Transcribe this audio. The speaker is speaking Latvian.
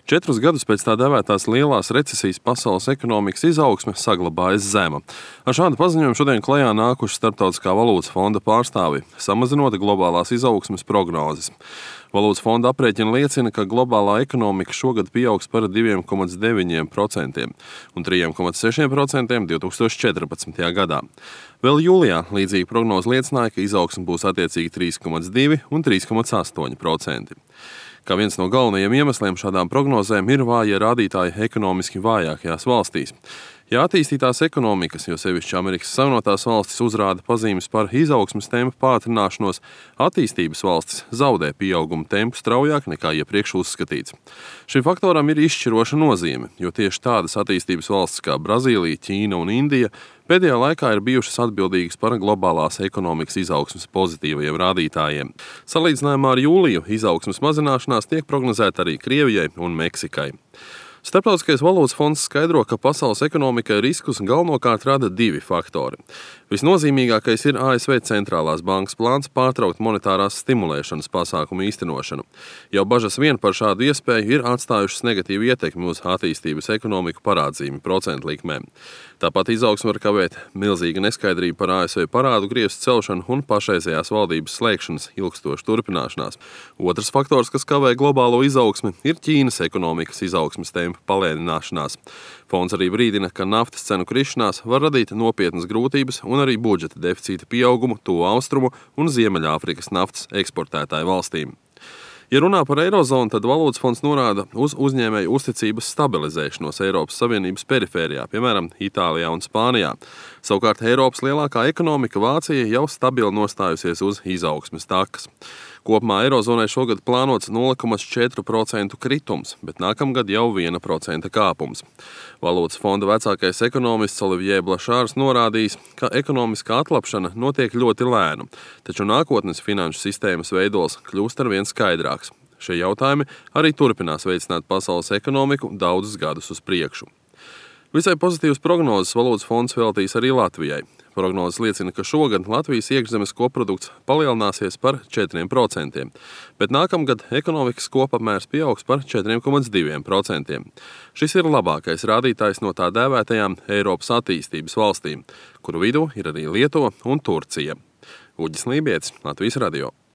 4 gadus pēc tā dēvētās lielās recesijas pasaules ekonomikas izaugsme saglabājas zema. Ar šādu paziņojumu šodien klajā nākuši Starptautiskā valūtas fonda pārstāvji, samazinot globālās izaugsmes prognozes. Valūtas fonda aprēķini liecina, ka globālā ekonomika šogad pieaugs par 2,9% un 3,6% 2014. gadā. Vēl jūlijā līdzīga prognoze liecināja, ka izaugsme būs attiecīgi 3,2% un 3,8%. Kā viens no galvenajiem iemesliem šādām prognozēm ir vāja rādītāji ekonomiski vājākajās valstīs. Ja attīstītās ekonomikas, jo sevišķi Amerikas Savienotās valstis uzrāda pazīmes par izaugsmes tempu pātrināšanos, attīstības valstis zaudē pieauguma tempu straujāk nekā iepriekš uzskatīts. Šim faktoram ir izšķiroša nozīme, jo tieši tādas attīstības valstis kā Brazīlija, Ķīna un Indija pēdējā laikā ir bijušas atbildīgas par globālās ekonomikas izaugsmes pozitīvajiem rādītājiem. Salīdzinājumā ar jūliju izaugsmes mazināšanās tiek prognozēta arī Krievijai un Meksikai. Starptautiskais valūtas fonds skaidro, ka pasaules ekonomikai riskus galvenokārt rada divi faktori. Visnozīmīgākais ir ASV centrālās bankas plāns pārtraukt monetārās stimulēšanas pasākumu īstenošanu. Jau bažas vien par šādu iespēju ir atstājušas negatīvu ietekmi uz attīstības ekonomiku parādzīmi procentu likmēm. Tāpat izaugsme var kavēt milzīga neskaidrība par ASV parādu griestu celšanu un pašreizējās valdības slēgšanas ilgstoša turpināšanās. Otrs faktors, kas kavē globālo izaugsmi, ir Ķīnas ekonomikas izaugsmes tempa palēnināšanās. Fonds arī brīdina, ka naftas cenu krišanās var radīt nopietnas grūtības un arī budžeta deficīta pieaugumu Tuvu Austrumu un Ziemeļāfrikas naftas eksportētāju valstīm. Ja runā par eirozonu, tad valūtas fonds norāda uz uzņēmēju uzticības stabilizēšanos Eiropas Savienības perifērijā, piemēram, Itālijā un Spānijā. Savukārt Eiropas lielākā ekonomika Vācija jau stabili nostājusies uz izaugsmes takas. Kopumā eirozonai šogad plānots 0,4% kritums, bet nākamgad jau 1% kāpums. Valūtas fonda vecākais ekonomists Olivier Blašārs norādījis, ka ekonomiskā atlapšana notiek ļoti lēnu, taču nākotnes finanšu sistēmas veidols kļūst arvien skaidrāks. Šie jautājumi arī turpinās veicināt pasaules ekonomiku daudzus gadus uz priekšu. Visai pozitīvas prognozes valūtas fonds veltīs arī Latvijai. Prognozes liecina, ka šogad Latvijas iekšzemes koprodukts palielināsies par 4%, bet nākamgad ekonomikas kopapmērs pieaugs par 4,2%. Šis ir labākais rādītājs no tā dēvētajām Eiropas attīstības valstīm, kuru vidū ir arī Lietuva un Turcija. Uģis Lībietis, Latvijas radio.